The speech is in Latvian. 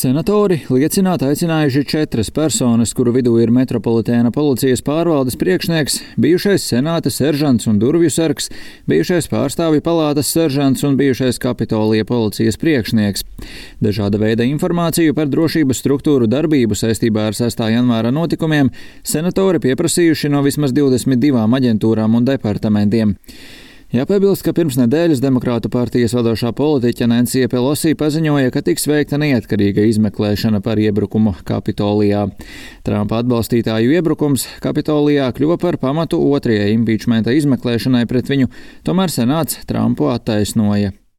Senatori liecināt aicinājuši 4 personas, kuru vidū ir Metropolitēna policijas pārvaldes priekšnieks, bijušais senāta seržants un durvju sargs, bijušais pārstāvju palātas seržants un bijušais Kapitolija policijas priekšnieks. Dažāda veida informāciju par drošības struktūru darbību saistībā ar 6. janvāra notikumiem senatori pieprasījuši no vismaz 22 aģentūrām un departamentiem. Jāpiebilst, ka pirms nedēļas Demokrātu partijas vadošā politiķe Nancy Pelosi paziņoja, ka tiks veikta neatkarīga izmeklēšana par iebrukumu Kapitolijā. Trumpa atbalstītāju iebrukums Kapitolijā kļuva par pamatu otrajai impičmenta izmeklēšanai pret viņu, tomēr senāts Trumpu attaisnoja.